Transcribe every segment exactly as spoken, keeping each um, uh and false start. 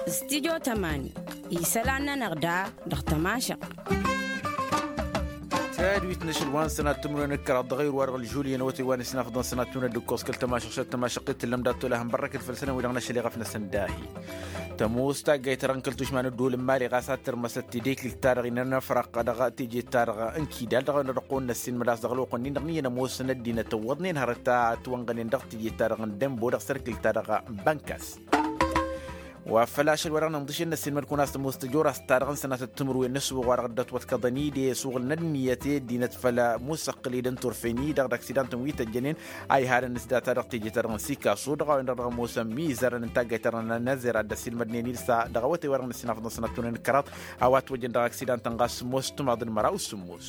Studio tămani isălan-nănăɣ da dăɣ-tămašăɣt. Tadwit n-ašăl wa n-sănat timǝrwen d-kăraḍ dăɣ-ayǝr wa dăɣ-ălžuliyăn awătay wa n-ăssinafăḍăn sănat timǝrwen d-ǝkkos kăl-tămašăɣt šăt tămašăɣt t-tǝllăm dat-tolăhăn bărrăkăt făll-sănăm wi-dăɣ n-ašăl iɣăf-năsăn dahi. Tămoos taggayt-ta-dăɣ n-kăl-tušma n-ădduul n-imali ɣas ad-tărmăsăt tideklilt-ta-dăɣ inănăfrăq dăɣ-teje-ta-dăɣ n-kidal dăɣ-a-wen-dăɣ dăɣ-kăwăn-năssin mădas dăɣ-ălwăqq-nin-dăɣ n-iyyăn ămoosăn ăddinăt ăwwăḍnen hărăt a ătwănɣănen dăɣ-teje-ta-dăɣ n-dembo dăɣ-sărkǝl-ta-dăɣ n-bănkas. Wa făl ašăl wa dăɣ-nǝnḍǝšen năssiinmăd-kăwăn a-s tămoos tăjorast-ta-dăɣ n-sănatăt timǝrwen n-ăssuɣ wa dăɣ-dd-ătwăḍkăḍăn-dd i-ăsuɣ n-ănniyăt i-ăddinăt făll-musăqqǝl-dd n-turfen-i-dăɣ d-aksidantăn wi tăjjănen a ihalăn s-data dăɣ-teje-ta-dăɣ n-sikasu dăɣ-a-wen-dăɣ dăɣ-ămoosăn mizărăn n-taggayt-ta-dăɣ n-nazera dd-ăssiilmădnen-dd s-a dăɣ-awătay wa dăɣ-năssiinafăḍăn sănat timǝrwen d-kăraḍ. A-wa ătwăjjăn dăɣ-aksidantăn ɣas sămoos timaḍ n-măraw sămoos.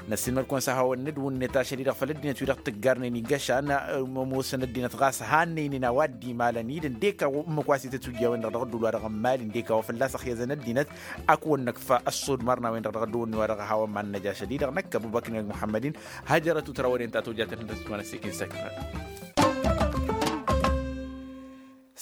Năssiinmăd-kăwăn s-ad-hawăn-nǝdwǝnnet ašăl-i-dăɣ făll-ăddinăt wi-dăɣ tǝggarnen igăšan ămoosăn ăddinăt ɣas hannăynen a-wa dd-imalăn-dd ǝndek a-wa ǝmmǝk wa s-itǝtwǝjja a-wen-dăɣ dăɣ-ădduul wa dăɣ-n mali ǝndek a-wa fălla-s ăxyăzăn ăddinăt. Ăkk wăr năkfa ăssodmar n-a-wen-dăɣ dăɣ-ădduul-ni wa dăɣ-ăhawăn ma n-năj ašăl-i-dăɣ năkk ăbubăkr n-ăgg muḥămmăd-in. Hăjărăt u-tărawăden ta tojatăn n-tăsmănăs ikin săknăn.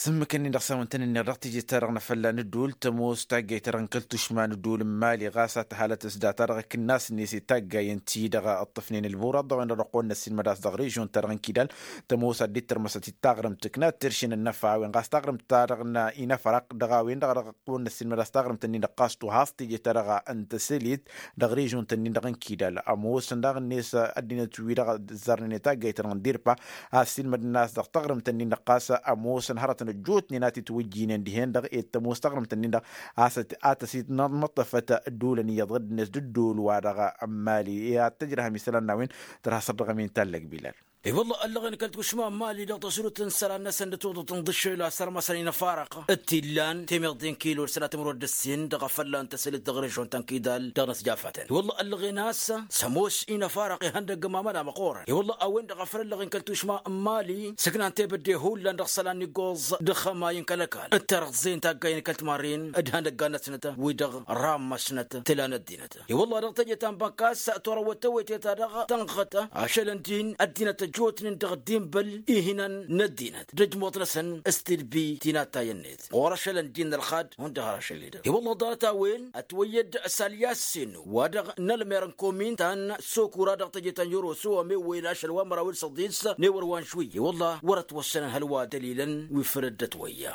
S-ǝmmǝk-ǝnnin-dăɣ s-a-wen-tăn-ǝnniɣ dăɣ-teje-ta-dăɣ n-afălla n-ădduul tămoos taggayt-ta-dăɣ n-kăl-tušma n-ădduul n-mali ɣas ad-tăhalăt s-data-dăɣ ǝknas-net i-taggayen-ti-dăɣ ǝṭṭǝfnen ălburăḍ a-wen-dăɣ dăɣ-kăwăn-năssiinmăd a-s dăɣ-režion-ta-dăɣ n-kidal. Tămoos ad-dd-tărmăsăt i-taɣrǝmt ǝkna tiršen ănnăfa a-wen ɣas taɣrǝmt-ta-dăɣ n-inăfrăq dăɣ-a-wen-dăɣ dăɣ-kăwăn-năssiinmăd a-s taɣrǝmt-nin-dăɣ ɣas tuhaẓ teje-ta-dăɣ n-tăsălit dăɣ-režion-tăn-nin-dăɣ n-kidal ămoosăn daɣ-net ăddinăt wi-dăɣ ăzzarnen i-taggayt-ta-dăɣ n-dirpa. A ăssiilmădnen a-s dăɣ-taɣrǝmt-nin-dăɣ ɣas ămoosăn hărătăn ăjjootnen a t-itwǝjjinen dihen-dăɣ ed tămoos taɣrǝmt-nin-dăɣ a-s a tăs-itnăṭṭăfăt ădduulăn iyyăḍ ɣǝddǝnet d-ădduul-wa-dăɣ n-mali i-ad-tăjrăhăm isălan n-a-wen. Tărha săr dăɣ-emin tallăg bilal. I-wălla ăllăɣen kăl-tušma n-mali dăɣ-tăsrut n-isălan-năsăn d-atuḍăt n-iḍǝššel a sărmăsăn inăfarăq d-t-illan temeḍe n-kilo d-sănatămrod d-ăssin dăɣ-afălla n-tăsălit dăɣ-režion ta n-kidal dăɣ-năsjafatăn i-wălla ăllăɣen a-s s-ămoos inăfarăq ihăndăgg ămamăla măqqoorăn i-wălla a-wen-dăɣ a făl ăllăɣen kăl-tušma n-mali sǝknan tebădde hullan dăɣ-isălan n-iggoẓ d-ixămay n-kăl-ăkall d-tărăẓẓe n-taggayen kăl-timarren d-ihăndăggan-năsnăt wi-dăɣ rammăsnăt tǝla n-ăddinăt. I-wălla dăɣ-teje ta n-bănkas torăwăt tewăyte-ta-dăɣ tănɣăt ašăl ǝndin ăddinăt ăjjootnen dăɣ-dd-inbăl ihinăn n-ăddinăt d-ăjmuḍ-năsăn s-tidbi ti n-attay-net ɣur-ašăl ǝndin n-ălxad hundăɣ har ašăl-i-dăɣ i-wălla ḍarăt a-wen ătwăyyăd s-alyassen wa dăɣ-nălmer n-komin ta n-sokura dăɣ-teje ta n-yăroso ămewwăyăn ašăl wa n-măraw d-săḍis n-ewăr wa n-žwǝyya i-wălla wăr-ătwăssănăn hăl wa dăl-ilăn wi făl dd-ătwăyya.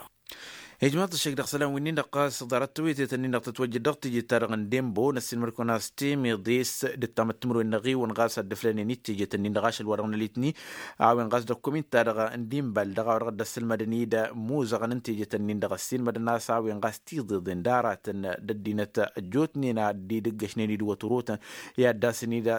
Ijmaḍ-t ăššăk dăɣ-isălan wi-nin-dăɣ ɣas ḍarăt tewăytet-nin-dăɣ tătwăjjăd dăɣ-teje-ta-dăɣ n-dembo năssiinmăd-kăwăn a-s temeḍe s-dd-ăttamăt timǝrwen n-aɣiwăn ɣas ad-dd-ǝflănen i-tejet-nin-dăɣ ašăl wa dăɣ-nălitni. A-wen ɣas dăɣ-komin-ta-dăɣ n-dimbal dăɣ-a-wa dăɣ-dd-ăssǝlmădăn-dd imuzăɣăn n-tejet-nin-dăɣ ăssiinmădăn a-s a-wen ɣas tiḍeḍen d-aratăn d-ăddinăt ăjjootnen a dd-idǝggăšnen-dd wăturotăn i-ad-dd-asăn-dd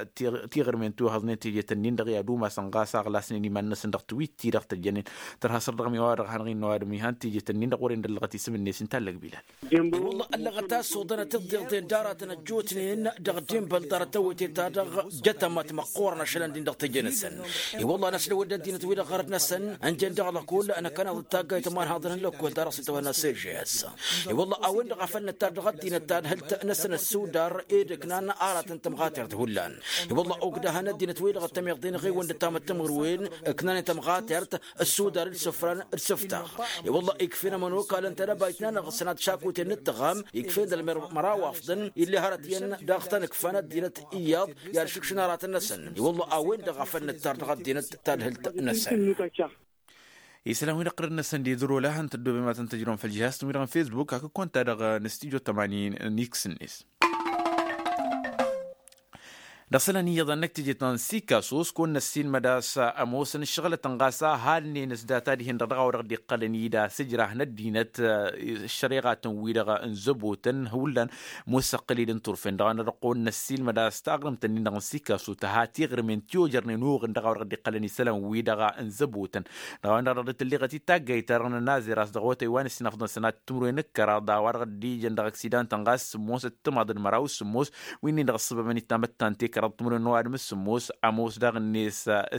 tiɣrǝmen tiwăhăẓnen tejet-nin-dăɣ i-ad-umasăn ɣas a ɣlasnen iman-năsăn dăɣ-tiwit-ti-dăɣ tăjjănen. Tărha săr dăɣ-mi wa dăɣ-hanăɣ-in n-ăwadǝm ihan tejet-nin-dăɣ wăren d-ăllăɣăt isǝm-net inta ăllăg bilal. I-wălla ăllăɣăt a-s oḍănăt tiḍeḍen d-aratăn ăjjootnen dăɣ-dimbăl ḍarăt tewăyte-ta-dăɣ jătămăt măqqoorăn ašăl ăndin dăɣ-teje-năsăn. I-wălla n-aslăwăd d-ăddinăt-wi-dăɣ ɣărăt-năsăn ǝnjăn dăɣ-lăkkol. Năkkăneḍ d-taggayt ma n-haḍăn n-lăkkol ta dăɣ-s itwănna s-ežes. I-wălla a-wen-dăɣ a făl nǝttar dăɣ-ăddinăt ta d-hǝlt-năsăn ăssudar ed ǝknan aratăn tămɣatert hullan. I-wălla ogdăhăn ăddinăt-wi-dăɣ d-tămiḍen ɣiwăn d-ăttamăt timǝrwen ǝknanen tămɣatert ăssudar d-isǝfran d-isǝftaɣ. I-wălla ikf'-en ămănokal n-tedăbayt-nănăɣ sănat šakuten n-ǝttăɣam ikf'-en d-ălmer măraw afḍăn ill'-e hărăt iyyăn dăɣ-tăn-ǝkfan ăddinăt iyyăḍ i-ad-šǝkšǝn aratăn-năsăn. I-wălla a-wen-dăɣ a făl nǝttar dăɣ-ăddinăt tadhǝlt-năsăn. Isălan-wi-dăɣ ɣărăt-năsăn d-idăr olăhăn tăddoobem ad-tăn-tăjrăwăm făll-žihaz-tăn-wi-dăɣ n-fesbuk hakd-kăwăn-ta-dăɣ n-stujo tămanin n-x-net. Dăɣ-isălan iyyăḍ a n-năkk teje ta n-sikasus kăwăn-năssiinmăd a-s ămoosăn ǝššăɣǝlătăn ɣas a halnen s-data dihen-dăɣ dăɣ-a-wa dăɣ-dd-iqqălăn-dd asǝjrah n-ăddinăt. Ăššăreɣatăn-wi-dăɣ n-zăbotăn hullan musăqqǝl-dd n-turfen dăɣ-a-wen-dăɣ kăwăn-năssiinmăd a-s taɣrǝmt-nin-dăɣ n-sikasu tǝha tiɣrǝmen ti ojărnen oɣǝn dăɣ-a-wa dăɣ-dd-iqqălăn isălan-wi-dăɣ n-zăbotăn. Dăɣ-a-wen-dăɣ dăɣ-dd-tǝlleɣăt i-taggayt-ta-dăɣ n-ănazăr a-s dăɣ-awătay wa n-ǝssinafăḍăn sănat timǝrwen d-kăraḍ a-wa dăɣ-dd-ijăn dăɣ-ăksidantăn ɣas sǝmmosăt timaḍ d-măraw sǝmmos wi-nin-dăɣ ăssăbăbăn ittamăttan tek. kăraḍ timǝrwen n-ăwadǝm d-sǝmmos ămoos daɣ-net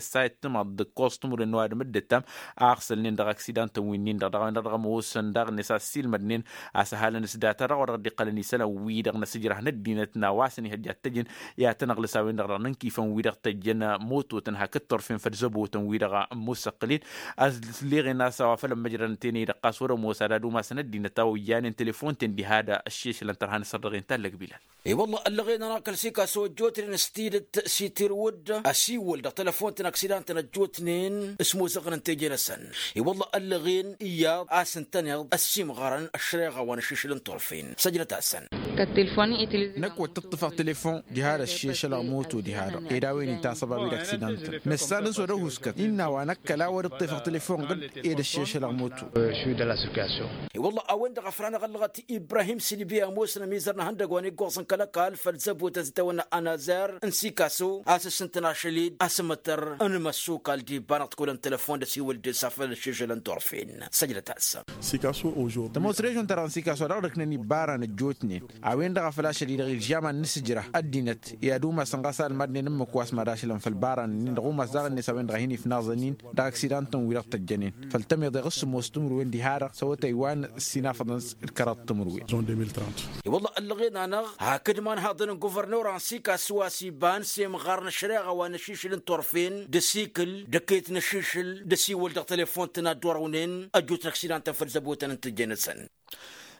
s-a ittǝmaḍ d-ǝkkoẓ timǝrwen n-ăwadǝm d-ǝttam. Aɣsălnen dăɣ-aksidan-tăn wi-nin-dăɣ dăɣ-a-wen-dăɣ dăɣ-ămoosăn daɣ-net a ăssiilmădnen a-s ăhalăn s-data dăɣ-wa dăɣ-dd-iqqălăn isălan-wi-dăɣ n-asǝjrah n-ăddinăt n-a-wa s-ănihăjja ad-t-ăjǝn i-ad-tăn-ăɣlǝs a-wen-dăɣ dăɣ-nǝnkifăn wi-dăɣ tăjjăn mototăn hakd turfen făll-zăbotăn wi-dăɣ ămmussăqqǝl-in. Ăsleɣen a-s a-wa făl ămmăjrădăn tenăy-dăɣ ɣas wăr-ămoos ad-ad-umasăn ăddinăt a ojjanen telefon-ten diha d-ăššešălăn tărha n-asărdăɣ-in tallăg bilal. I-wălla ăllăɣen-anăɣ kăl-sikaso ăjjootnen s-tidǝt s-itirwǝd ăsiwăl dăɣ-telefon-tăn aksidan-tăn ăjjootnen s-imozăɣăn n-teje-năsăn. I-wălla ăllăɣen iyyăḍ a-s ǝntăneḍ ăssimɣărăn ăššăreɣa wa n-ašišǝl n-turfen săjdăt-asăn. Năkk wăr t-ǝṭṭǝfăɣ telefon diha d-ăššešălăɣ moto diha-dăɣ ed a-wen itasăba wi d-aksidan-tăn nǝssan s-wăr-ăhuskăt innă a-wa năkkăl a wăr-ǝṭṭefăɣ telefon ɣǝd ed ăššešălăɣ moto. I-wălla a-wen-dăɣ a făl hanăɣ-ăllăɣăt ibrahim silbi ămoosăn ămizăr n-ehăndăg wa n-iggoẓ n-kăl-ăkall făll-zăbotăn s-itawănna anazar n-sikaso a-s ǝssǝntăn ašăl-dd asǝmǝtăr n-imăssukal d-iba-năɣ t-kulăn telefon d-ăsiwǝl d-esafăl ăššešălăn turfen săjdăt-as. Tămoos režon-ta-dăɣ n-sikaso a dăɣ-dd-ǝknăn ibbaran ăjjootnen a-wen-dăɣ a făl ašăl-i-dăɣ ilžaman n-asǝjrah ăddinăt i-ad-umasăn ɣas almadnen ǝmmǝk wa s-mad-ašălăn făll-ibaran-nin-dăɣ umas daɣ-net a-wen-dăɣ a hin-ifnaẓăn-in dăɣ-aksidan-tăn wi-dăɣ tăjjănen făll-tămiḍe ɣǝssǝmmos timǝrwen diha-dăɣ s-awătay wa n-sinafăḍăn d-kăraḍ timǝrwen. I-wălla ăllăɣen-anăɣ hakd imanhaḍăn n-guvărnora n-sikaso a-s iba n-semɣar n-ăššăreɣa wa n-ašišǝl n-turfen d-asikǝl d-ăkket n-ašišǝl d-asiwăl dăɣ-telefon-tăn ad-dd-wărăwnen ăjjootnen aksidan-tăn făll-zăbotăn n-tǝjje-năsăn.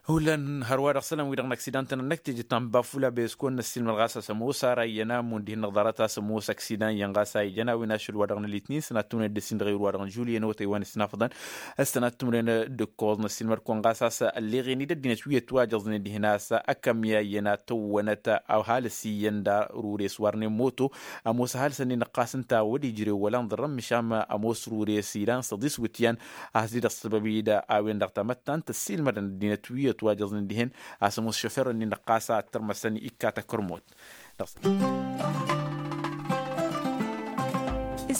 Hullan hărwa-dăɣ isălan-wi-dăɣ n-aksidan-tăn ănnăk teje ta n-bafula băyăskon n-ăssiilmăd ɣas a-s ămoos ara iyyăn a ămmun dihen-dăɣ ḍarăt a-s ămoos aksidan iyyăn ɣas a ijăn a-wen ašăl wa dăɣ-nălitnin sănat tǝmnen d-ăssin dăɣ-ewǝr wa dăɣ-năžulyen otăy wa n-ăssinafăḍăn. Ăssanat tǝmnen d-ǝkkoẓ n-ăssiilmăd-kăwăn ɣas a-s ălleɣen-dd ăddinăt wi ătwajăẓnen dihen a-s ăkămya iyyăn ad-tăwwănăt a ăhalǝs iyyăn d-arures warnen moto. Ămoos ăhalǝsăn-in ăqqas ǝnta a wăr-ijrew wăla ănḍărrăn măšan ămoos rures ilan săḍis wǝtyan a has-dd-ăssăbăb-dd a-wen-dăɣ tamăttant ăssiilmădăn ăddinăt wi ătwajăẓnen dihen a-s ămoos šofer-nin ăqqas ad-tărmăsăn ikka takărmot.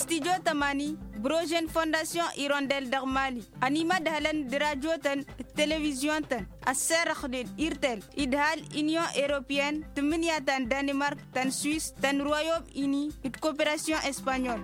Studyo tămani brožen fondasyon irondel dăɣ-mali ănimădhălăn d-rajotăn d-televizyon-tăn ăsserăxnen irtel idhal inyon europeyăn tǝmmǝnǝya ta n-danimark ta n-swis ta n-royom ini d-koperasyon espanyol.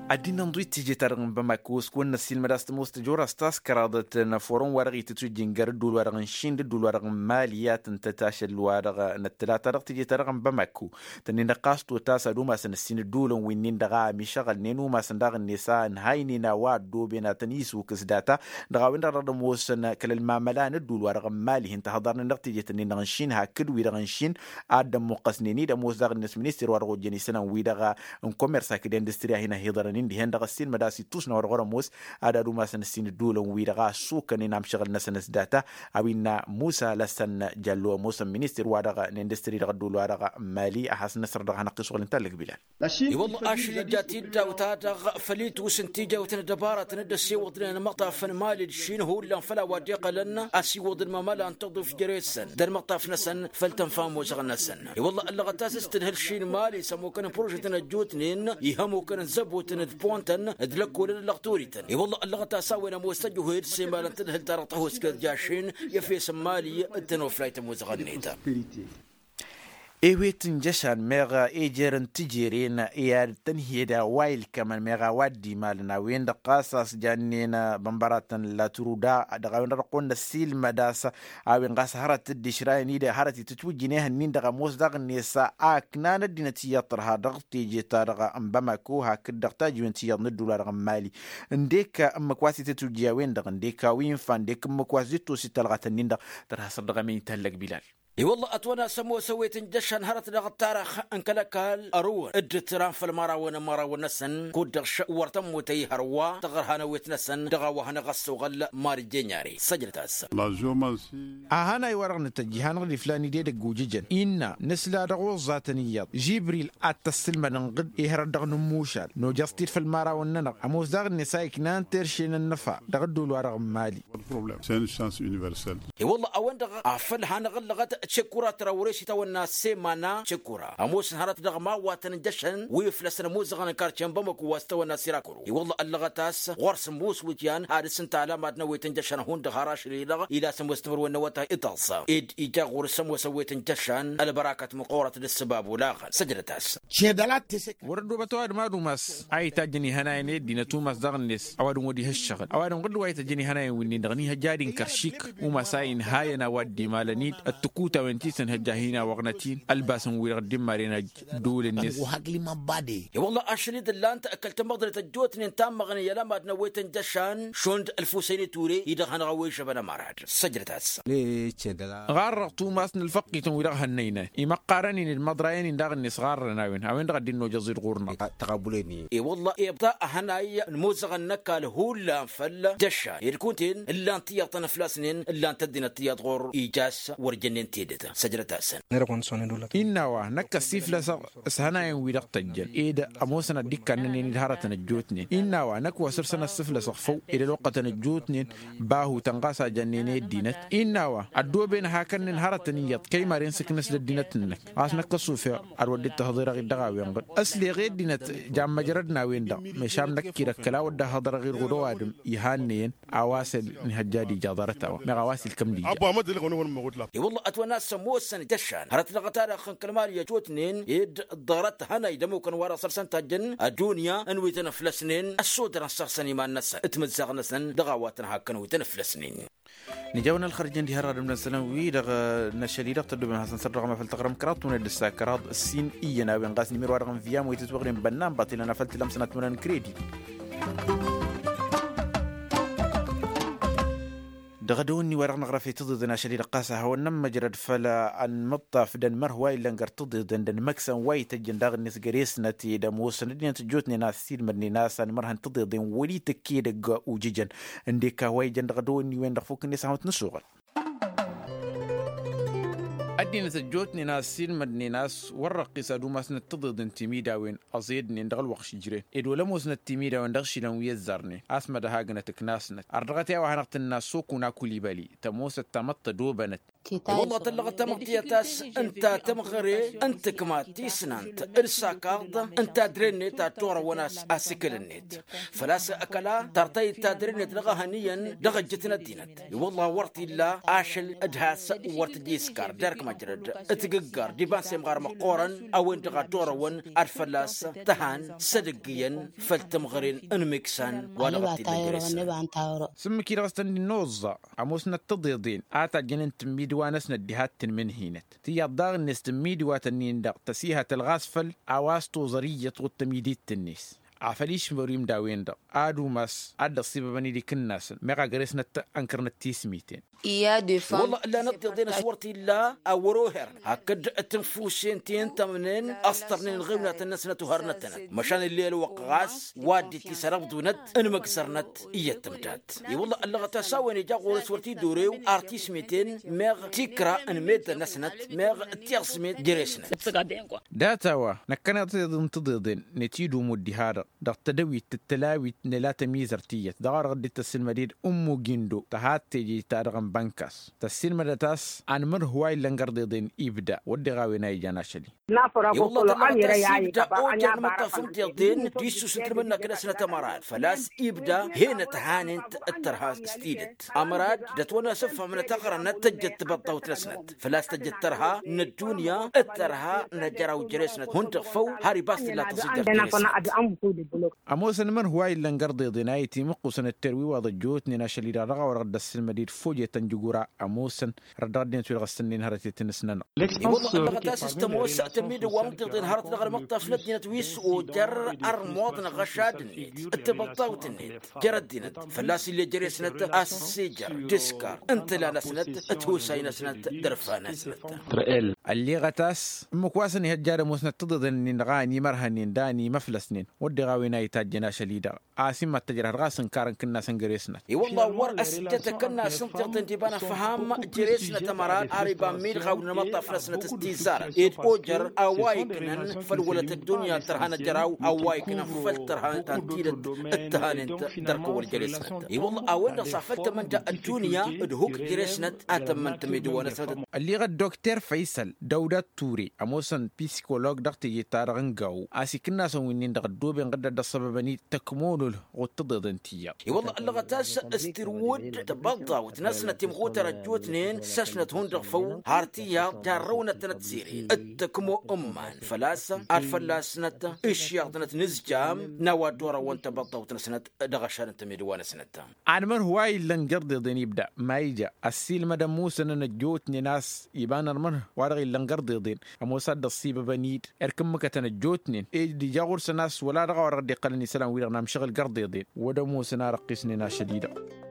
Ad-dd-innă ǝnḍǝw-it teje-ta-dăɣ n-bamako s-kăwăn-năssiilmăd a-s tămoos tăjorast ta s-kăraḍăt n-aforăn wa dăɣ-itǝtwǝjjǝn gar ǝddul wa dăɣ-n šin d-ǝddul wa dăɣ-n mali i-ad-tǝntăt ašăl wa dăɣ-năttălata dăɣ-teje-ta-dăɣ n-bamako. Tănnin-dăɣ ɣas totas ad-umasăn ǝssin ǝddulăn wi-nin-dăɣ a ămišăɣălnen umasăn daɣ-net a ǝnhaynen a-wa ăddooben ad-tăn-isukǝs data dăɣ-a-wen-dăɣ dăɣ-dd-ămoosăn kăl-ălmamăla n-ăddul wa dăɣ-n mali hin-tăhăḍarnen dăɣ-teje-tăn-in-dăɣ n-šin hakd wi-dăɣ n-šin. Ad-dd-ămmuqqăsnen-dd ămoos daɣ-net minister wa dăɣ-ojjăn isălan-wi-dăɣ n-komers hakd industri a hin-ăhiḍărăn-in dihen-dăɣ ăssiilmăd a-s ittus n-a-wa dăɣ-wăr-ămoos ad-ad-umasăn ǝssin ǝddulăn-wi-dăɣ a ăssukănen amšăɣǝl-năsăn s-data. A-wa innă musa lăsăn jallo ămoosăn minister wa dăɣ-n industri dăɣ-ăddul wa dăɣ-mali a has-năsrăɣ dăɣ-hanăɣ-t isuɣǝl n-tallăg bilal. I-wălla ašăl ija tiddawt-ta-dăɣ făll-itus n-tijawt n-ăddăbaratăn dd-ăssiwăḍnen ălmăṭṭaf n-mali d-šin hullan făll-a-wa dd-iqqălăn asiwăḍ n-mamăla n-tăḍuf jere-săn d-ălmăṭṭaf-năsăn făll-tănfa ămoosăɣ-năsăn. I-wălla ăllăɣăt a-s s-tǝdhǝl šin mali s-ămukăn n-prožetăn ăjjootnen ih' ămukăn n-zăbotăn d-pon-tăn d-lăkkolăn d-lăɣturităn. I-wălla ăllăɣăt a-s a-wen ămoos tăjuhed s-emalăn tǝdhǝl-ta-dăɣ tăhoskăt ja-šin i-efes n-mali d-tănoflayt ămoosăɣ-net. Ewet n-jăšan meɣ ejer n-tijeren i-ad-tăn-hi-ed a-wa ilkămăn meɣ a-wa dd-imalăn a-wen-dăɣ ɣas a-s jannen bănbăratăn latruda dăɣ-a-wen-dăɣ dăɣ-kăwăn-năssiilmăd a-s a-wen ɣas hărăt dd-išrayăn-dd hărăt itǝtwǝjjǝn ehăn-nin-dăɣ ămoos daɣ-net a ǝknan ăddinăt iyyăḍ tărha dăɣ-teje-ta-dăɣ n-bamako hakd dăɣ-tajiwen ti iyyăḍ n-ădduul-wa-dăɣ n-mali. Ǝndek ǝmmǝk wa s-itǝtwǝjji a-wen-dăɣ ǝndek a-wa infa ǝndek ǝmmǝk wa s-dd-tosit talɣat-nin-dăɣ. Tărha săr dăɣ-amin itallăg bilal. I-wălla ătwănna a-s ămoos ăwet n-jăšan hărăt dăɣ-ăṭṭarăx n-kăl-ăkall ărǝwăn dd-tǝran făll-imărawăn n-imărawăn-năsăn kud-dăɣ wăr tămmut ăyy hărwa tăɣrăha n-ewet-năsăn dăɣ-a-wa hanăɣ-ăssoɣăl mari jenyari săjdăt-as. A hanay-wa-dăɣ nǝtăjj iha-năɣ d-iflan-dd edăgg ujǝjăn innă nǝsla dăɣ-oẓẓatăn iyyăḍ žibril ad-t-ăssǝlmădăn ɣǝd i-hărăt dăɣ-inǝmmušal nojăẓ-t-dd făll-imărawăn-nănăɣ ămoos daɣ-net a iknan terše n-ănnăfa dăɣ-ădduul-wa-dăɣ n-mali. I-wălla a-wen-dăɣ a făl hanăɣ-ăllăɣăt Cekura tăra wăr-e s-itawănna semana cekura ămoosăn hărăt dăɣ-mawatăn n-jăšăn wi făl-s ănămuzăɣăn n-karce n-bamăku wa s-tawănna sirakuru i-wălla ăllăɣăt a-s ɣur-s ămoos wǝtyan ad-ǝssǝnta ălamad n-ăwwet n-jăšăn hundăɣ har ašăl-i-dăɣ ila s-ămoos timǝrwen n-awătay itaẓẓa ed ija ɣur-s ămoos ăwwet n-jăšăn ălbărakat măqqoorăt d-ǝssǝbab olaɣăn săjdăt-as. Wăr-ăddoobăt ăwadǝm ad-umas a itajjăn ihănayăn i-ăddinăt umas daɣ-net ăwadǝm wăr-dd-iha ǝššăɣǝl ăwadǝm ɣǝdd wa itajjăn ihănayăn wi-nin-dăɣ n-ihăjja ad-inkăr šik umas a inhayăn a-wa dd-imalăn-dd ăttǝkutawăn ti s-ănhăjja hin-awăɣnăt-in ălbasăn-wi-dăɣ dd-imaren ajj dd-ulǝnnet. I-wălla ašăl-i-dd ǝllan-t kăl-tamăḍnet ăjjootnen tammăɣnen i-ălamad n-ăwwet n-jăšan šund ălfusăynet ture-i-dăɣ hanăɣ-a-wa ižăbăn ămărad săjdăt-as. Ɣarrăɣ tumas n-ălfăqqităn wi-dăɣ hănnăynăyăn imăqqarăn-in d-imăḍrayăn-in daɣ-net ɣarrăn a-wen a-wen-dăɣ a dd-innojăẓ-dd ɣur-năɣ. I-wălla-hi ibḍa ăhănay n-imuzăɣăn n-ăkall hullan făll-jăšan ed kunta-en ǝllan tiyyăḍ tăn-ăflasnen ǝllan-t ăddinăt tiyyăḍ ɣur-ija a-s wăr jănnen tedăt. Săjdăt-asăn. Innă a-wa năkk ăssiflăsăɣ s-ihănayăn wi-dăɣ tăjjăn ed ămoosăn ad-dd-ikkannănen d-hărătăn ăjjootnen innă a-wa năkk wa săr-săn ăssiflăsăɣ făw ed ăloqqătăn ăjjootnen bahutăn ɣas a jănnen i-ăddinăt innă a-wa ăddooben hakănnen hărătăn iyyăḍ kăy-maren s-ǝknăs d-ăddinăt-năk. Ɣas năkk ăṣṣufeɣ ad-wăr dd-tăhḍereɣ-dd dăɣ-a-wen-dăɣ ăsleɣ i-ăddinăt jammăjrăd n-a-wen-dăɣ. Mešan năkk-i-dăɣ kăla wăr dd-ăhhăḍărăɣ-dd ɣur-ăwadǝm ihannăyăn a-wa s-ănhăjja ad-ija ḍarăt-a-wa meɣ a-wa s-ilkăm d-ija. I-wălla ătwănna a-s ămoosăn d-ăššan hărăt dăɣ-ta-dăɣ n-kăl-mali ăjjootnen ed ḍarăt hănay d-ămukăn wa-dăɣ săr-săn tajjăn ăddunya n-wi tăn-ăflăsnen ăssodărăn săr-săn iman-năsăn d-timǝzzaɣ-năsăn dăɣ-a-wa tăn-hakkăn wi tăn-ăflăsnen. Nǝja a-wen ălxărjăn diha ărradăm-năsăn wi-dăɣ n-ašăl-i-dăɣ tăddobem ad-hasăn-săr dăɣ-amafăl taɣrǝm kăraḍ tuned d-ǝssa kăraḍ ǝssin iyyăn a-wen ɣas n-imer wa-dăɣ n-viam wa itǝtwăɣnen bănnan baṭilăn afăl tǝlăm sănat mănăn n-kredi. Dăɣ-dăwănni wa dăɣ-năɣrăf i-tǝḍiḍen ašăl-i-dăɣ ɣas a hawăn-nămmăjrăd făll-anmǝṭṭaf d-anmărh wa illăn găr tǝḍiḍen d-anmăksăn wa ităjjăn daɣ-net găre-snăt ed ămoosăn ăddinăt ăjjootnen a ăssiilmădnen a-s anmărhăn tǝḍiḍen wăr-itǝkk edăgg ujǝjăn ǝndek a-wa ijăn dăɣ-dăwănni-wen-dăɣ fukk-net a hawăn-t-nǝsuɣăl. Ăddinăt ăjjootnen a ăssiilmădnen a-s wăr-răqqis ad-umasnăt tǝḍiḍen timidawen ăẓednen dăɣ-ălwăqq šǝjren ed wăl-ămoosnăt timidawen dăɣ-išilan wi ăzzarnen a-s mădăhagǝnăt ǝknasnăt. Ărdăɣăt i-a-wa hanăɣ-tǝnna sokuna kulibali tămoosăt tamăḍt tădobănăt. I-wălla tăllăɣăt tamăḍt tiyyăt a-s ǝnta tămɣăre n-tǝkma tisnant d-sakaḍ n-tadre-net ad-torăwăn a-s asǝkǝl-net făl-a-s ăkăla tartăy d-tadre-net dăɣ-ehăn iyyăn dăɣ-ǝjjǝt n-ăddinăt. I-wălla wăr t-illa ašăl d-has-wăr t-dd-iskar derk măjrăd tǝggǝggăr d-iba n-semɣar măqqoorăn a-wen-dăɣ ad-torăwăn ad-fălla-s tăhan s-edăgg iyyăn făll-timɣăren n-imǝksan wa dăɣ-t-illa jere-snăn. Sǝmmǝk-i-dăɣ s-tăn-dd-noẓẓa ămoosnăt tǝḍeḍen a tajjănen tǝmmidǝwa-năsnăt diha d-tǝnmǝnhinăt tiyyăḍ daɣ-net tǝmmidǝwatăn-in-dăɣ tăsihătăl ɣas făll-a-wa s-toẓăr iyyăt ɣud tămidit-net. Afăl išmăr imdawen-dăɣ ad-umas ad-dd-ăṣṣibăbăn idikǝnnasăn meɣ a găre-snăt ănkărnăt tismiten. I-wălla ǝllanăt tiḍeḍen s-wăr t-illa a wăr-oherăn hakd tǝnfusen ti n-tămnen ăstărnen ɣiwnatăn-năsnăt oharnăt-tănăt măšan ǝllel ălwăqq ɣas wa dd-itisărăbdunăt n-imǝgzărnăt iyyăt tǝmdat. I-wălla ăllăɣăt a-s a-wen ija ɣur-s wăr t-dd-orew ar tismiten meɣ tikra n-meddǝn-năsnăt meɣ tiẓmet jere-snăt. Dat-a-wa năkkăneḍ tiḍeḍen n-tǝḍeḍen n-itidumu dd-iha-dăɣ dăɣ-tedăwit d-tălawit n-ela tămizărt iyyăt dăɣ-a-wa dăɣ-dd-ittăs sǝlmăd-dd ummu gindo tăha d-teje-ta-dăɣ n-bănkas tăssilmădăt a-s anmǝrh wa illăn gărḍeḍen ibda wădden a-wen a ijan ašăl-i. I-wălla tăllăɣăt a-s ibda oja n-imǝṭṭaf n-tiḍen d-issus n-tǝlmǝnnak-năsnăt ămărad făl-a-s ibda henăt hanent d-tărha s-tidǝt ămărad d-ătwănna s-ǝffămnăt ăɣrănăt tăjjăt tibăḍḍawt-năsnăt făl-a-s tăjjăt tărha n-ăddunya d-tărha n-ajăraw jere-snăt hundăɣ făw har ibas tǝlla tăẓijăr jere-snăt. Ămoosăn imǝrh wa illăn gărḍeḍen a itimǝqqusăn d-terwiwaḍ ăjjootnen ašăl-i-dăɣ dăɣ-a-wa dăɣ-dd-ăssilmăd-dd fojătăn jǝgura ămoosăn răddăɣ ăddinăt wi-dăɣ ǝssǝnnen hărăt i-tăn-ǝsnănăɣ. I-wălla ăllăɣăt a-s s-tămoos tămmidǝwa n-tiḍen hărăt dăɣ-ălmăṭṭaf n-ăddinăt wi s-ojăr ărmuḍ n-aɣăšad-net d-tibăḍḍawt-net jer-ăddinăt fălla-s ill'-e jere-snăt a-s s-ijăr d-iskar n-tǝla-năsnăt d-husay-năsnăt d-ărfa-năsnăt. Ălleɣăt a-s ǝmmǝk wa s-ănihăjja ad-ămoosnăt tiḍeḍen-nin-dăɣ a ănimărhănen d-a ănimăflăsnen wădden a-wen a itajjăn ašăl-i-dăɣ. A-s immăt tăjrăh dăɣ-a-s ǝnkarăn kǝnnasăn găre-snăt. I-wălla wăr ăsjăt akănnas ǝntiḍten d-iba n-ăfham jere-snăt ămăra ar iba n-midɣaw n-amăṭṭaf-năsnăt s-tizarăt ed ojăr a-wa iknăn făll-wălăt ăddunya tărhanăt jer-a-wa a-wa iknăn făll-tărha ta n-tidăt d-tăhanen-t dăr-kăwăl jere-snăt. I-wălla a-wen-dăɣ s-afăl tămănja ăddunya d-huk jere-snăt a tămmăn tămidǝwa-năsnăt. Ălleɣăt dokter făysăl dăwda ture ămoosăn pisikolog dăɣ-teje-ta-dăɣ n-gawo a-s ikǝnnasăn wi-nin-dăɣ ăddooben ɣǝddăt d-ăṣṣăbăbăn-i tăkmonul ɣud tiḍeḍen ti iyyăḍ. I-wălla ăllăɣăt a-s s-tirwǝd tibăḍḍawt-năsnăt imɣutăr ăjjootnen s-ăšnăt hundăɣ făw har tiyyăḍ jarrăwnăt-tănăt sere d-tăkmo ǝmman făl-a-s ad-fălla-snăt ǝššăɣ-tănăt nǝzjam n-a-wa dd-orăwăn tibăḍḍawt-năsnăt. Dăɣ-ăššan n-tămedǝwa-năsnăt. Anmărh wa illăn gărḍeḍen ibda ma ija ăssiilmădăn musănăn ăjjootnen a-s iba n-anmărh wa dăɣ-illăn gărḍeḍen ămoos ad-dd-ăṣṣibăbăn-dd erk ǝmmǝkătăn ăjjootnen ed ija ɣur-săn a-s wăla dăɣ-a-wa dăɣ-dd-iqqălăn isălan-wi-dăɣ n-amšăɣǝl gărḍeḍen wăd-ămoosăn a răqqisnen ašăl-i-dăɣ.